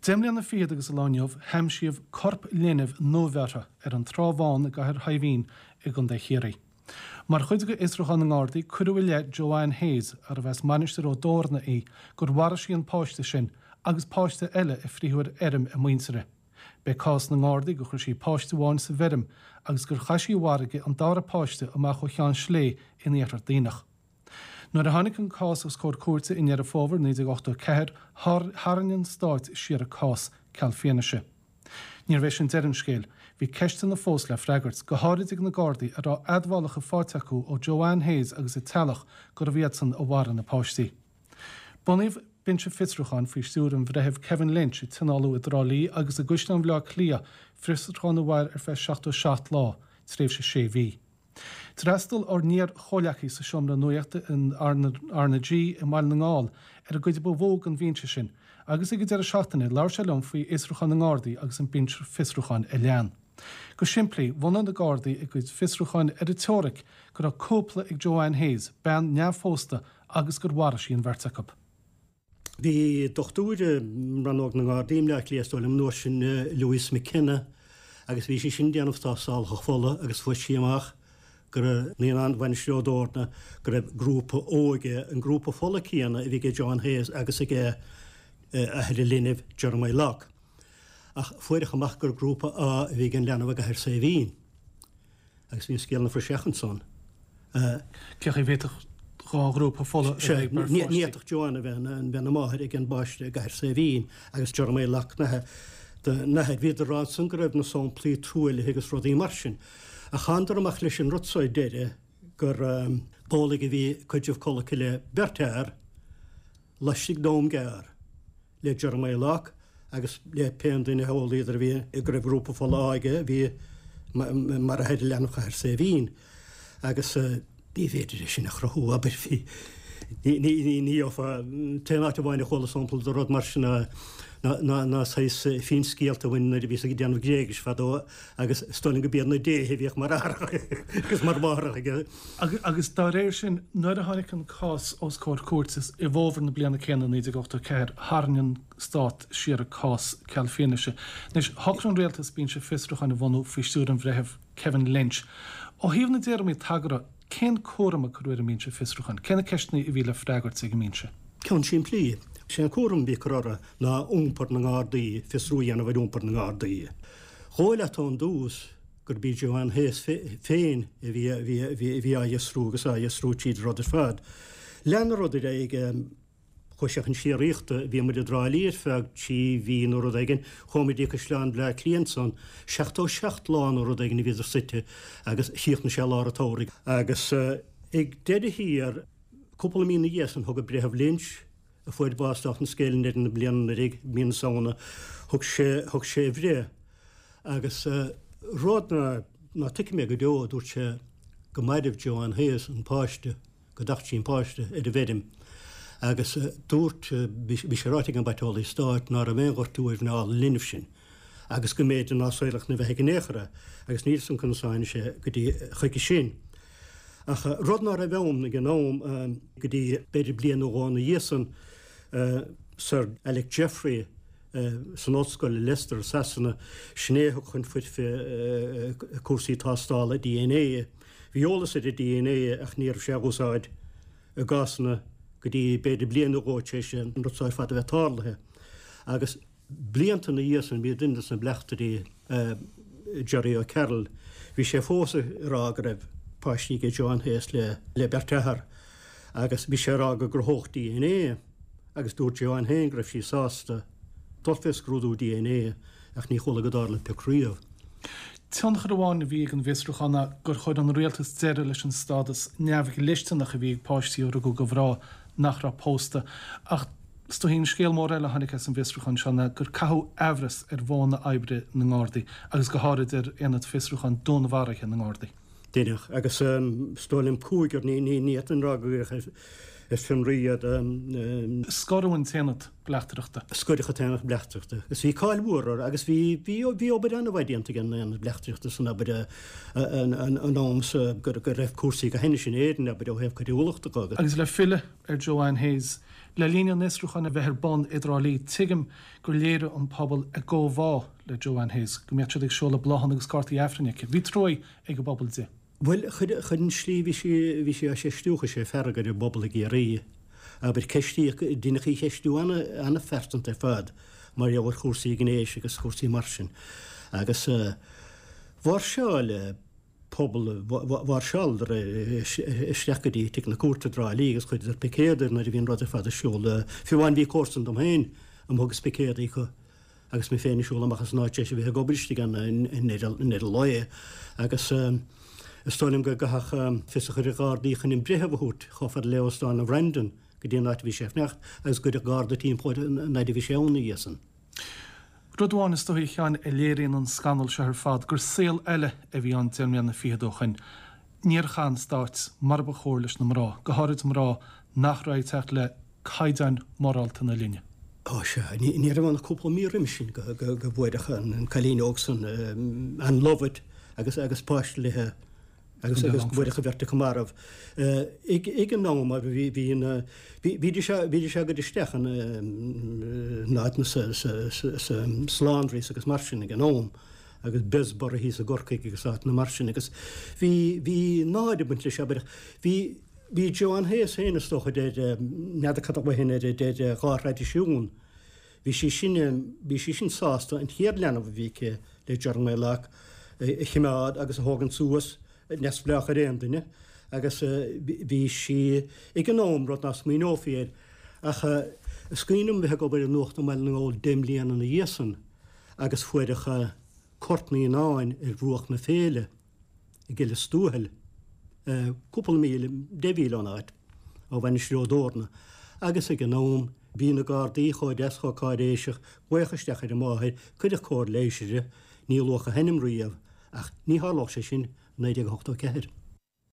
Deich mbliana fichead agus an lá inniu, haimsíodh corp linbh nuabheirthe ar an Trá Bhán i gCathair Shaidhbhín i gContae Chiarraí. Mar chuid de fhiosrúchán na nGardaí, cuireadh i leith Joanne Hayes, arbh as Mainistir Ó dTorna í, gur mharaigh sí an páiste sin agus páiste eile a frítheadh ar fheirm a muintire. B'é cás na nGardaí gur chuir sí páiste amháin sa bhfeirm agus gur chaith sí i bhfarraige an dara páiste amach ó Cheann Slé in Iarthar Duibhneach. Nuair a tháinig an cás os comhair cúirte i nDeireadh Fómhair 1984, tharraing an Stát siar a cás, ceal fianaise. Níorbh é sin deireadh an scéil. Bhí ceisteanna fós le freagairt, go háirid ag na Gardaí a raibh admhálacha faighte acu ó Joanne Hayes agus a teaghlach gurbh iadsan a mharaigh na páistí. Bunaíodh binse fiosrúcháin faoi stiúir an Bhreithimh Kevin Lynch a tionóladh i dTrá Lí agus i gCaisleán Bhaile Átha Cliath, fiosrúchán a mhair ar feadh 77 lá, tréimhse sé mhí. D'fhreastail ár n-iar-chomhleacaí sa seomra nuachta in RnaG i mBaile na nGall ar an gcuid ba mhó den bhinse sin agus ag an deireadh seachtaine labhair sé liom faoi fhiosrúchán na nGardaí agus an binse fiosrúcháin a lean. Go simplí, bhunaigh na Gardaí a gcuid fiosrúcháin ar an teoiric go raibh cúpla ag Joanne Hayes, bean neamhphósta, agus gur mharaigh sí an bheirt acu. Bhí dochtúir i rannóg na nGardaí i mBleá Cliath, is dóigh liom, an uair sin, Louise McKenna, agus bhí sí sin ag déanamh tástálacha fola agus fuair sí amach go raibh naíonán Mhainistir Ó dTorna, go raibh grúpa O aige, an grúpa fola céanna a bhí ag Joanne Hayes agus ag athair an linbh, Jeremiah Locke. Ach fuaireadh amach gur grúpa A a bhí ag an leanbh i gCathair Saidhbhín. Agus bhí an scéal ina phraiseach ansan. Cé chaoi a bhféadfadh dhá ghrúpa fola a bheith ag beirt pháistí? Ní fhéadfadh Joanne a bheith ina máthair ag an bpáiste i gCathair Saidhbhín agus Jeremiah Locke ina athair. Bhíodar ag rá ansan go raibh na samplaí truaillithe agus rudaí mar sin. Ach thánadar amach leis an rud so ar deireadh gur b'amhlaidh a bhí cuid díobh codlata le beirt fhear laistigh d'am gearr. le Jeremiah Locke agus le pé an duine a eolaíodar a bhí go raibh grúpa fola A aige a bhí mar athair leanbh Chathair Saidhbhín agus ní féidir é sin a chruthú, abair, bhí ní ní gheofá an t-aon áit amháin a chuala sampla de rud mar sin ná ná ná saghas finscéalta a bhain nuair a bhíos ag déanamh Gréigis fadó agus is dóigh liom go b'iad na déithe a bhíodh mar aithreacha agus mar mháithreacha aige. Agus dá réir sin, nuair a tháinig an cás os comhair cúirte i bhfómhar na bliana céanna, 1984, tharraing an Stát siar a cás ceal fianaise. Anois, shocraigh an Rialtas binse fiosrúcháin a bhunú faoi stiúir an Bhreithimh Kevin Lynch. Ó thaobh na dtéarmaí tagartha, cén cúram a cuireadh ar an mbinse fiosrúcháin? Cé na ceisteanna a bhí le freagairt ag an mbinse? Ceann simplí. Sé an cúram a bhí curtha orthu ná iompar na nGardaí, fiosrú a dhéanamh ar iompar na nGardaí. Dhóigh leat ón dtús gurb í Joanne Hayes féin a bhí a bhí á fhiosrú agus á fhiosrú tríd an rud ar fad. Lean an rud ar aghaidh, chuaigh sé chun síoraíochta, bhí muid i dTrá Lí ar feadh 3 mhí nó rud éigin, chuaigh muid go Caisleán Bhleá Cliath ansan, 77 lá nó rud éigin a bhíodar suite agus chríochnaigh sé lár an tsamhraidh. Agus ag deireadh thiar, cúpla mí ina dhiaidh san, thug an Breitheamh Lynch, a fuair bás dála an scéil i ndeireadh na bliana anuraidh, mí na Samhna, thug sé, thug sé a bhreith. Agus rud ná, ná tuigfidh mé go deo, a dúirt sé, go mairbh Joanne Hayes an páiste, go dtacht sí an páiste ar an bhfeirm. Agus dúirt, bhí, bhí sé ráite ag an bpaiteolaí stáit ná raibh aon ghortú ar mhná an linbh sin agus go mb'fhéidir ná saolódh ina bheathaidh in aon chor é, agus níl 'fhios a'm conas a tháinig sé go dtí, chuige sin. Ach rud ná raibh ann ag an am, go dtí b'fhéidir bliain nó dhó ina dhiaidh san, Sir Alec Jeffrey san ollscoil i Leicester i Sasana, sin é a thug chun foirfe cúrsaí tástála DNA. Bhí eolas ar an DNA ach ní raibh sé á úsáid i gcásanna go dtí b'fhéidir bliain nó dhó tar éis an rud seo ar fad a bheith tarlaithe. Agus blianta ina dhiaidh san bhí duine des na bleachtairí, Gerry O'Carroll, bhí sé fós ag rá go raibh páistí ag Joanne Hayes le beirt fhear agus bhí sé ag rá go gcruthódh DNA agus dúirt Joanne féin go raibh sí sásta dul fé scrúdú DNA ach ní chuala go dtarla pioc riamh. Tionchar amháin a bhí ag an bhfiosrúchán ná gur chuir an rialtas deireadh leis an stádas neamhdhlisteanach a bhí ag páistí a rugadh do mhná nach raibh pósta. Ach is dóichí an scéal mór eile a tháinig as an bhfiosrúchán seo ná gur caitheadh aimhreas ar mhodhanna oibre na nGardaí agus go háirid ar Aonad Fiosrúcháin Dúnmharuithe na nGardaí. Deineadh, agus is dóigh liom cúigear, ní ní ní fhéadfainn rá go díreach. Ar fionraí iad. Scoireadh an tAonad Bleachtaireachta. Scoireadh an tAonad Bleachtaireachta agus bhí cáil mhór orthu agus bhí bhí bhí obair an-mhaith déanta ag an Aonad Bleachtaireachta san abair an am so go go raibh cúrsaí go hainnis in Éirinn abair ó thaobh coiriúlachta de agus. Agus le filleadh ar Joanne Hayes, le linn an fhiosrúcháin a bheith ar bun i dTrá Lí, tuigim gur léirigh an pobal a gcomhbhá le Joanne Hayes, go mbíodh siad ag seoladh bláthanna agus cártaí Aifrinn aici. Bhí truaí ag an bpobal di. Bhuel, chuir, chuir an slí bhí sí, bhí sí á cheistiú, chuir sé fearg ar an bpobal i gCiarraí. Abair, ceistíodh, deineadh í cheistiú ana, ana-phearsanta ar fad mar gheall ar chúrsaí gnéis agus cúrsaí mar sin. Agus mháirseáil pobal, mháirseáladar isteach go dtí tigh na cúirte i dTrá Lí agus chuireadar picéad nuair a bhí an rud ar fad ar siúl. Fiú amháin bhí comharsan dom féin amuigh agus picéad acu. Agus mé féin ag siúl amach as an áit tar éis a bheith ag obair istigh ann i ndeireadh lae agus is dóigh liom go gcaithfeadh fios a chur ar Ghardaí chun an breitheamh a thabhairt chomh fada le Óstán an Bhrandon go dtí an áit a bhí sé ag fanacht agus go gcuirfeadh Garda timpeall air an fhaid a bhí sé ann ina dhiaidh san. Rud amháin is dóigh a Sheáin a léiríonn an scannal seo ar fad gur saol eile a bhí ann deich mbliana fichead ó shoin. Níor chaith an Stát mar ba chóir leis na mná, go háirid mná nach raibh ag teacht le caighdeáin mhorálta na linne. Ó sea, ní raibh ann ach cúpla mí roimis sin go bhfuaireadh an cailín óg san, Ann Lovett, agus agus páiste léi agus agus go bhfuaireadh an bheirt acu marbh. Ag an am bhí bhí na bhídís bhídís á gcur isteach in áiteanna sa sa sa laundries agus mar sin ag an am agus Bessborough thíos i gCorcaigh agus áiteanna mar sin agus bhí bhí náire ag baint leis abair bhí Bhí Joanne Hayes féin, is dócha, idir, n'fheadar cad a bhain ar idir dhá thraidisiún. Bhí sí sin, bhí sí sin sásta an chéad leanbh a bhí aici le Jeremiah Locke a chimeád agus a thógaint suas, neamhspleách ar aon duine, agus bhí sí ag an am, rud ná smaoineofaí air. Ach is cuimhin liom bheith ag obair i Nuacht i mBaile na nGall deich mbliana ina dhiaidh san agus fuaireadh corp naíonáin ar bhruach na Féile. i gCill Lios Tuathail, cúpla míle, 10 mhíle ón áit, ó Mhainistir Ó dTorna, agus ag an am, bhí na Gardaí chomh deas chomh cáiréiseach, glaodh isteach ar an máthair, cuireadh cóir leighis uirthi, ní luadh a hainm riamh, ach ní tharlódh sé sin i 1984.